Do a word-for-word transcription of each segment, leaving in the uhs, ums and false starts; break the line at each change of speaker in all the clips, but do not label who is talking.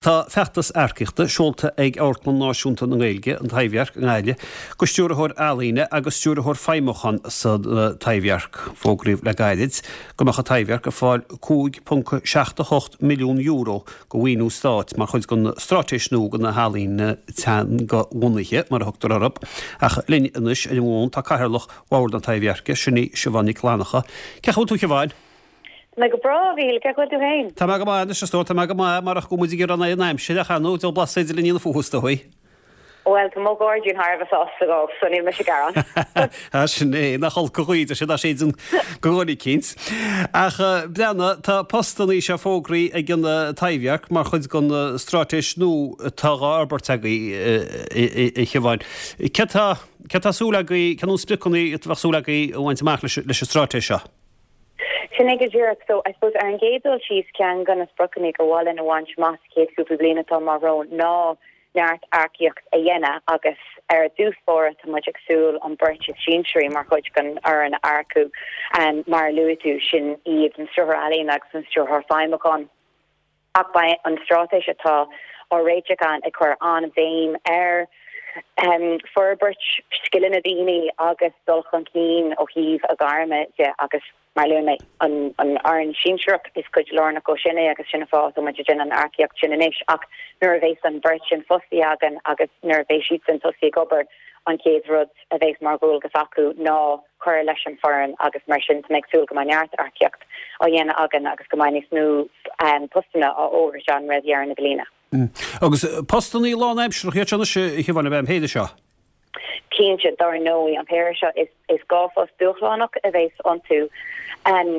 Tá feachtas earcaíochta seolta ag Amharclann Náisiúnta na Gaeilge, an Taibhdhearc i nGaillimh, do stiúrthóir ealaíne agus stiúrthóir feidhmiúcháin sa Taibhdhearc. Fógraíodh le gairid go mbeadh an Taibhdhearc ag fáil cúig ponc seacht a hocht milliún euro de mhaoiniú stáit mar chuid den straitéis nua do na healaíona teangabhunaithe, mar a thugtar orthu. Ach linn anois ar an bhfón tá Cathaoirleach Bhord an Taibhdheirc, sin í Siobhán Nic Fhlannchadha. Cén chaoi a bhfuil tú, a Shiobháin?
Tá mé go breá, a Mhíchíl, cén chaoi a bhfuil tú féin?
Tá mé go maith anois, a stór, tá mé go maith, marach go bhfuil muid ag iarraidh an aimsir ach ar ndóigh, diabhal blas féidir linn a dhéanamh fúithi, is dóigh.
Bhuel, tá mo ghairdín thar a bheith sásta dhó, so níl mise ag gearán.
Á, sin é, nach olc an ghaoth, sin dá séideann go dhuine eicínt. Ach breathnaigh, tá postannaí seo fógraithe ag an Taibhdhearc mar chuid den straitéis nua atá dhá fhorbairt agaibh, a Shiobháin. Céard tá, céard tá súil agaibh, cé na spriocanna a bheadh súil agaibh a bhaint amach leis an straitéis seo?
Sin é go díreach. So, I suppose, ar an gcéad dul síos, ceann de na spriocanna gur mhaith linn a bhaint amach sa chéad chúpla bliain atá amach romhainn ná neart earcaíocht a dhéanamh agus ar dtús báire tá muid ag súil an beirt is sinsearaí mar chuid den fhoireann a earcú. Mar a luaigh tú, sin iad an Stiúrthóir Ealaíon agus an Stiúrthóir Feidhmiúcháin. Ach beidh an straitéis atá á réiteach againn ag cur an-bhéim ar forbairt scileanna daoine agus dul chun cinn ó thaobh a gairme de agus, mar a luaigh mé, an fhoireann sinsearach, is cuid lárnach dhó sin é agus sin an fáth atá muid ag déanamh an earcaíocht sin anois. Ach nuair a bheas an bheirt sin fostaithe againn agus nuair a bheas siadsan tosaithe ag obair, an chéad rud a bheas mar dhualgas acu ná cur leis an bhfoireann agus mar sin tá mé ag súil go mbeidh neart earcaíocht á dhéanamh againn agus go mbeidh níos mó postanna á fhógairt againn roimh dheireadh na bliana.
Agus postanna lánaimseartha iad seo anois, a Shiobháin, ab ea an péire seo?
Cinnte, dar ndóigh, an péire seo, is is dhá phost dúshlánach a bheas iontu.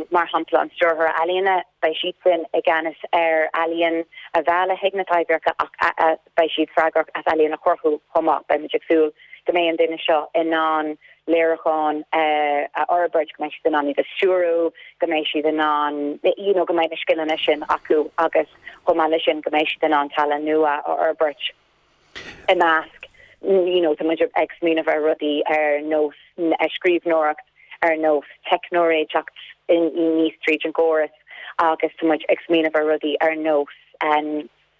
Mar shampla, an Stiúrthóir Ealaíne, beidh siadsan i gceannas ar ealaíon a mhealladh chuig na Taibhdheirce ach beidh siad freagrach as ealaíon a chruthú chomh maith. Beidh muid ag súil go mbeidh an duine seo in ann léiriúcháin a fhorbairt, go mbeidh siad in ann iad a stiúrú, go mbeidh siad in ann, you know, go mbeidh na scileanna sin acu agus chomh maith leis sin go mbeidh siad in ann tallann nua a fhorbairt i measc, you know, tá muid ag smaoineamh ar rudaí ar nós scríbhneoireacht, ar nós teicneolaíocht níos tríd an gcóras agus tá muid ag smaoineamh ar rudaí ar nós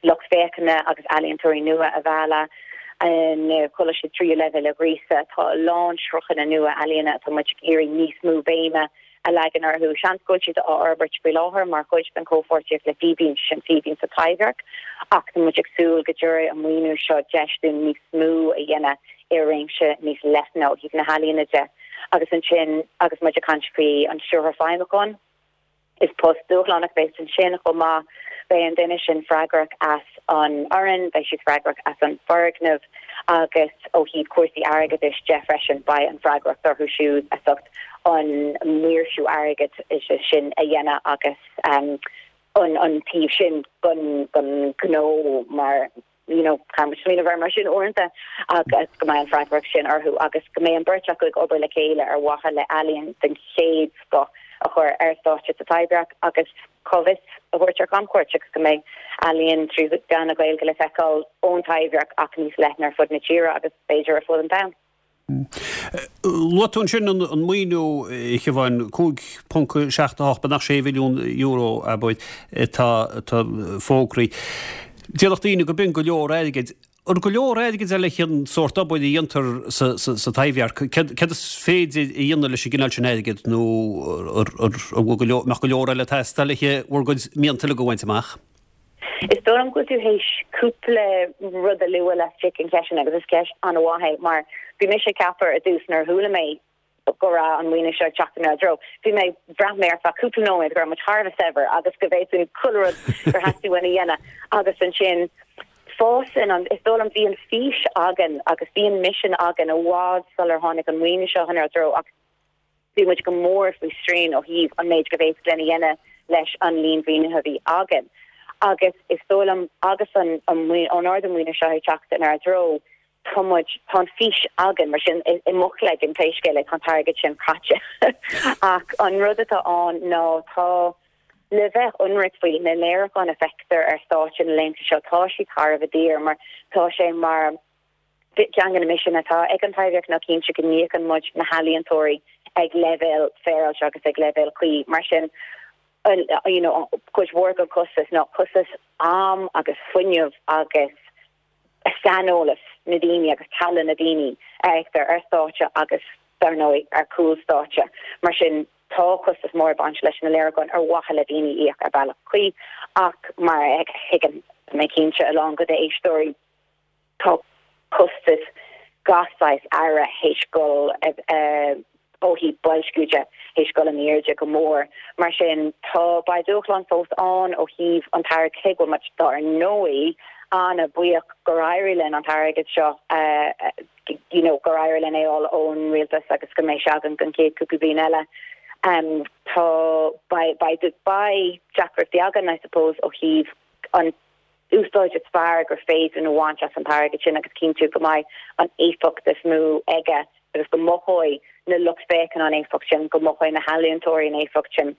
lucht féachana agus ealaíontóirí nua a mhealladh, na coláistí tríú leibhéal a ghríosadh. Tá a lán sruthanna nua ealaíona atá muid ag iarraidh níos mó béime a leagan orthu. Seans go bhfuil siad á fhorbairt faoi láthair mar chuid den chomhpháirtíocht le Fíbín, sin Fíbín sa Taibhdhearc, ach tá muid ag súil go dtabharfaidh an maoiniú seo deis dúinn níos mó a dhéanamh i réimse níos leithne ó thaobh na healaíona de. Agus ansin agus muid ag caint faoi an Stiúrthóir Feidhmiúcháin, Is post dúshlánach a bheas ansin chomh maith. Beidh an duine sin freagrach as an fhoireann, beidh siad freagrach as an bhfoirgneamh agus ó thaobh cúrsaí airgeadais de freisin, beidh an freagracht orthu siúd as ucht an maoirsiú airgeadais sin a dhéanamh agus an an taobh sin den ghnó mar you know, caithfidh muid smaoineamh air mar sin uaireanta agus go mbeidh an freagracht sin orthu agus go mbeidh an bheirt acu ag obair le chéile ar mhaithe le ealaíon den chéad scoth a chur ar stáitse sa Taibhdhearc agus cá bhfios a thabhairt ar camchuairt agus go mbeidh ealaíon trí mheán na Gaeilge le feiceáil ón Taibhdhearc ach níos leithne ar fud na tíre agus b'fhéidir ar fud an domhain.
Luaigh tú ansin an maoiniú, a Shiobháin, cúig ponc seacht a hocht, beagnach sé mhilliún euro, abair, atá fógraithe. Déarfadh daoine go b'in go leor airgid. An go leor airgid é leis an sórt obair a dhéantar sa Taibhdhearc? Céard is féidir a dhéanamh leis an gcineál sin airgid nó an mbeadh go leor eile ag teastáil le bhur gcuid mianta uilig a bhaint amach?
Is dóigh liom go bhfuil tú théis cúpla rud a lua laistigh den cheist sin agus is ceist an-mhaith é mar bhí mise ag ceapadh ar dtús nuair a chuala mé go raibh an maoiniú seo ag teacht inár dtreo, bhí mé, bhraith mé ar feadh cúpla nóiméad go raibh muid thar a bheith saibhir agus go bhféadfainn chuile rud gur theastaigh uainn a dhéanamh agus ansin fásann an, is dóigh liom bhí an fís againn agus bhí an misean againn i bhfad sular tháinig an maoiniú seo inár dtreo ach Bhí muid go mór faoi srian ó thaobh an méid go bhféadfadh linn a dhéanamh leis an líon mhaoinithe a bhí againn. Agus is dóigh liom agus an an ardú maoinithe seo ag teacht inár dtreo, tá muid, tá an fís againn, mar sin i mo chloigeann pé scéal é tá an t-airgead sin caite. Ach an rud atá ann ná tá, le bheith ionraic faoi, na léiriúcháin a feictear ar stáitse na laethanta seo, tá siad thar a bheith daor mar tá sé mar, Ceann de na misin atá ag an Taibhdhearc ná cinntiú go n-íocann muid na healaíontóirí ag leibhéal féaráilte agus ag leibhéal cuí. Mar sin, you know cuid mhór den costas ná costas am agus fuinneamh agus saineolas na daoine agus tallann na daoine a fheictear ar stáitse agus dar ndóigh ar chúl stáitse. Mar sin tá costas mór ag baint leis na léiriúcháin ar mhaithe le daoine íoc ar bealach cuí ach mar a thuigeann mé cinnte a lán de d'éisteoirí tá costas gach saghas earra théis dul ó thaobh boilsciú de théis dul in airde go mór. Mar sin tá beidh dúshlán fós ann ó thaobh an t-airgead cé go bhfuil muid dar ndóigh an-bhuíoch gur éirigh linn an t-airgead seo you know gur éirigh linn é fháil ón rialtas agus go mbeidh sé againn don chéad cúpla bliain eile. Um, tá beidh beidh beidh deacrachtaí againn I suppose ó thaobh an úsáid is fearr gur féidir a bhaint as an t-airgead sin agus cinntiú go mbeidh an éifeacht is mó aige agus go mothóidh na lucht féachana an éifeacht sin, go mothóidh na healaíontóirí an éifeacht sin,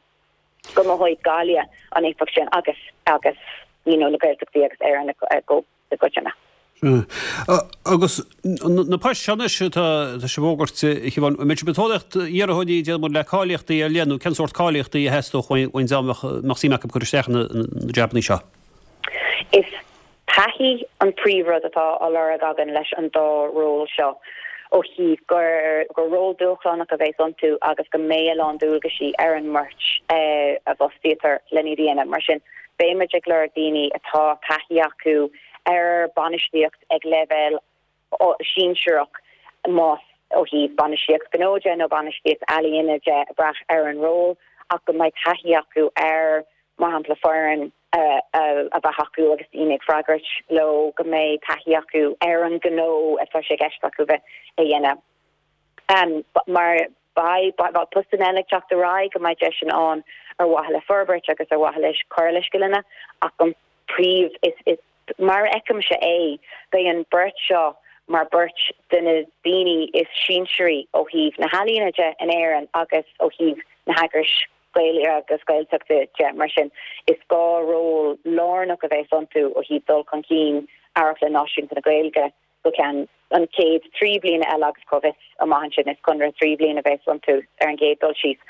go mothóidh Gaillimh an éifeacht sin agus agus you know, na Gaeltachtaí agus Éire go i gcoitinne.
Agus na poist seo anois atá sibh a fhógairt a Shiobhán, an mbeidh sibh ag tóraíocht iarrthóirí déarfaidh muid le cáilíochtaí ar leith nó cén sórt cáilíochtaí a theastódh ón dá mbeadh suim acu cur isteach na jabanna seo?
Is taithí an príomhrud atá á lorg againn leis an dá ról seo ó thaobh gur gur ról dúshlánach a bheas iontu agus go mbeidh a lán dualgaisí ar an mbeirt eh, a bhfostaítear lena dhéanamh. Mar sin beimid ag lorg daoine atá taithí acu ar bainistíocht ag leibhéal sinsearach más ó thaobh bainistíocht gnó de nó bainistíocht ealaíne de ag brath ar an ról ach go mbeidh taithí acu ar mar shampla foireann a bheith acu agus daoine ag freagairt leo go mbeidh taithí acu ar an gnó atá sé i gceist acu bheith a dhéanamh. Um, mar beidh postanna eile ag teacht ar aghaidh go mbeidh deis ann ar mhaithe le forbairt agus ar mhaithe leis cur le scileanna ach an príomh is, is mar a fheicimse é beidh an beirt seo mar beirt de na daoine is sinsearaí ó thaobh na healaíona de in Éirinn agus ó thaobh na heagrais Gaeilge agus Gaeltachta de mar sin is dhá ról lárnach a bheas iontu ó thaobh dul chun cinn Amharclann Náisiúnta na Gaeilge go ceann an chéad trí bliana eile agus cá bhfios amach ansin is conradh trí bliana a bheas iontu ar an gcéad dul síos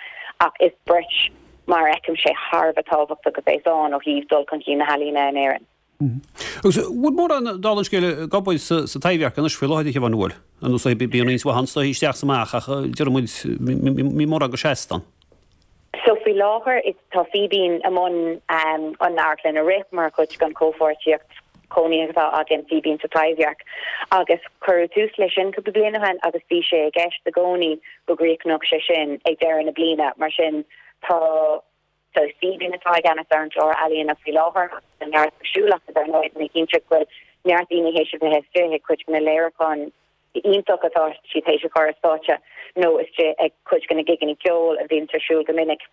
ach is beirt mar a fheicimse thar a bheith tábhachtach a bheas ann ó thaobh dul chun cinn na healaíona in Éirinn.
Agus bhfuil mórán dála an scéil ag obair sa sa Taibhdhearc anois faoi láthair a Shiobhán an bhfuil? Ar nós bíonn roinnt mhaith ann isteach is amach ach déarfaidh muid níl mórán go seasta ann.
So faoi láthair is tá Fíbín i mbun um, an amharclann a rith mar chuid den chomhpháirtíocht chónaithe atá againn Fíbín sa Taibhdhearc agus cuireadh tús leis sin cúpla bliain ó shin agus bhí sé i gceist i gcónaí go gcríochnódh sé sin ag deireadh na bliana mar sin tá so Fíbín atá i gceannas ar an gclár ealaíona faoi láthair an neart siúlach ar ndóigh na cinnte go bhfuil neart daoine théis a bheith istigh ag cuid de na léiriúcháin iontach atá siad théis a chur ar stáitse nó istigh ag cuid de na gigeanna ceoil a bhíonn ar siúl go minic.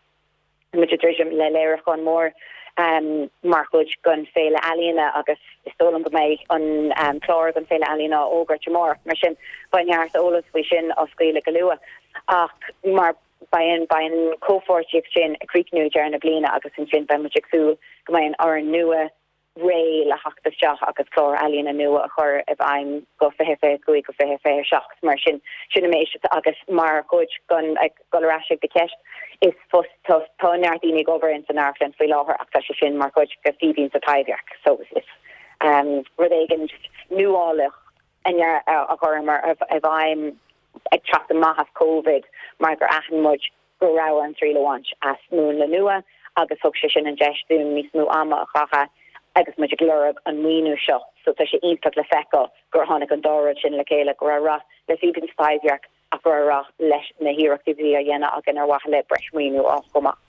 Muid ag druidim le léiriúchán mór um, mar chuid den Féile Ealaíona agus is dóigh liom go mbeidh an um, clár don Féile Ealaíona á fhógairt amárach mar sin beidh neart eolas faoi sin á scaoileadh go luath ach mar beidh an beidh an comhpháirtíocht sin ag críochnú deireadh na bliana agus ansin beidh muid ag súil go mbeidh an fhoireann nua réidh le theacht isteach agus clár ealaíona nua a chur i bhfeidhm go fiche fiche cúig go fiche fiche seacht mar sin sin an méid agus mar chuid den ag dul ar ais ag do cheist is fos tá tá neart daoine ag obair in san amharclann faoi láthair ach tá sé sin mar chuid de Fíbín sa Taibhdhearc so is um, rud éigin nuálach a chuireamar i bhfeidhm ag teacht amach as Covid mar gur aithin muid go raibh an triail a bhaint as múnla nua agus thug sé sin an deis dúinn níos mó ama a chaitheamh agus muid ag lorg an maoiniú seo so tá sé iontach le feiceáil gur tháinig an dá rud sin le chéile go raibh rath le Fíbín sa Taibhdhearc ach go raibh rath leis na hiarrachtaí a bhí á dhéanamh againn ar mhaithe le breis maoiniú á chomh maith.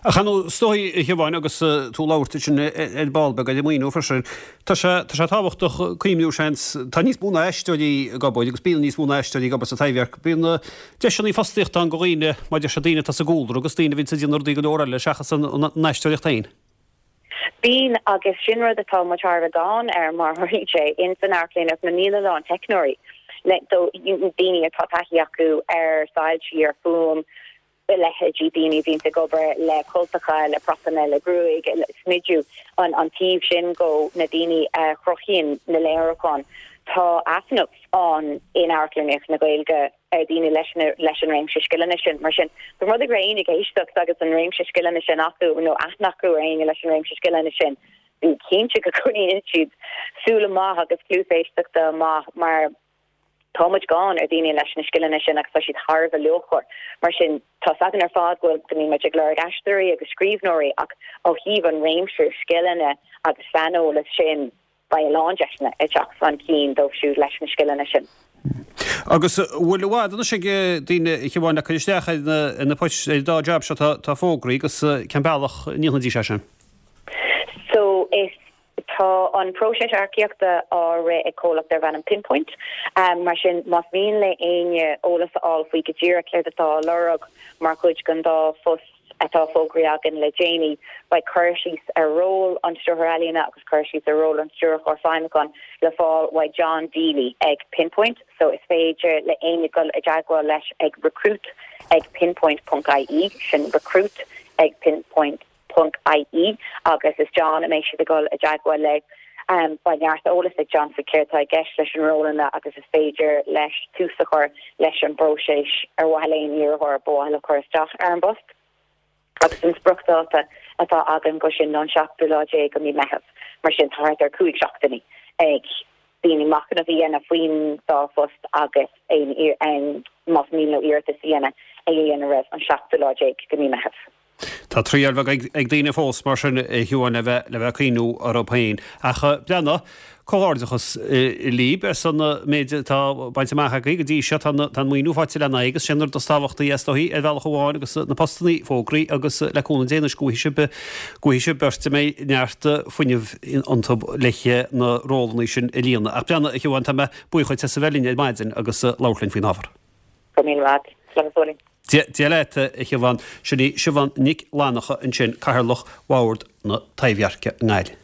Ach ar ndóigh a Shiobháin agus tú ag labhairt sin ar ball beag ar an maoiniú freisin. Tá sé tá sé tábhachtach cuimhniú seans tá níos mó ná aisteoirí ag obair agus bíonn níos mó ná aisteoirí ag obair sa Taibhdhearc. Bíonn deiseanna fostaíochta ann do dhaoine maidir le daoine atá sa gcúlra agus daoine a bhíonn ag déanamh rudaí go leor eile seachas an an aisteoireacht féin.
Bíonn agus sin rud atá muid thar a bheith gann air mar tharlaíonn sé in san amharclann is níl a lán teicneoirí le daoine atá taithí acu ar soilsí ar fuaim leithéidí daoine a bhíonn ag obair le cultacha le propanna le gruaig le smidiú an an taobh sin go na daoine a chruthaíonn na léiriúcháin. Tá easnamh ann in amharclannaíocht na Gaeilge ar daoine leis na leis an réimse scileanna sin mar sin dá mba rud é go raibh éinne ag éisteacht agus an réimse scileanna sin acu nó aithne acu ar éinne leis an réimse scileanna sin bí cinnte go gcoinníonn siad súil amach agus cluas éisteachta amach mar tá muid gann ar daoine leis na scileanna sin agus tá siad thar a bheith luachmhar. Mar sin tá a fhios againn ar fad go bhfuil go mbíonn muid ag lorg aisteoirí agus scríbhneoirí ach ó thaobh an réimse scileanna agus saineolas sin beidh a lán deiseanna ag teacht chun cinn dóibh siúd leis na scileanna sin.
Agus bhfuil i bhfad anois ag daoine a Shiobhán le cur isteach ar na poist ar an dá jab seo atá fógraithe agus cén bealach a ndéanfaidís é sin?
So is tá an próiseas earcaíochta á rith ag comhlacht darb ainm Pinpoint. Um, mar sin más mian le éinne eolas a fháil faoi go díreach céard atá á lorg mar chuid den dá phost atá fógraithe againn le déanaí beidh cur síos ar ról an stiúrthóir ealaíne agus cur síos ar ról an stiúrthóir feidhmiúcháin le fáil uaidh John Deely ag Pinpoint, so is féidir le éinne dul i dteagmháil leis ag recruit ag pinpoint.ie sin recruit ag pinpoint ponc ie agus is John a mbeidh siad ag dul i dteagmháil le. Um, beidh neart eolas ag John faoi céard atá i gceist leis an rólanna agus is féidir leis tús a chur leis an bpróiseas ar mhaithe le haon iarrthóir ba mhaith leo cur isteach ar an bpost. Agus an spriocdháta atá againn dó sin ná an seachtú lá déag de mhí Meitheamh, mar sin tá thart ar cúig seachtainí ag daoine machnamh a dhéanamh faoin dá phost agus aon más mian leo iarratas a dhéanamh é a dhéanamh roimh an seachtú lá déag de mhí Meitheamh.
Tá triail bheag ag daoine fós mar sin a Shiobhán le bheith le bheith ag cuimhniú orthu féin. Ach breathnaigh, comhghairdeachas libh ar son an méid atá bainte amach agaibh go dtí seo tá an maoiniú faighte lena aghaidh agus sin an rud is tábhachtaí is dóichí ar bhealach amháin agus na postanna fógraithe agus le cúnamh Dé anois go bhfaighidh sibh go bhfaighidh sibh beirt a mbeidh neart fuinnimh iontu le na rólanna sin a líonadh. Ach breathnaigh, a Shiobhán, tá mé buíoch duit as a bheith linn ar maidin agus labhairt linn faoin ábhar.
Go raibh míle maith agat. Slán go fóill.
Dia leat, a Shiobhán. Sin í Siobhán Nic Fhlannacha ansin, Cathaoirleach Bhord na Taibhdheirce i nGaillimh.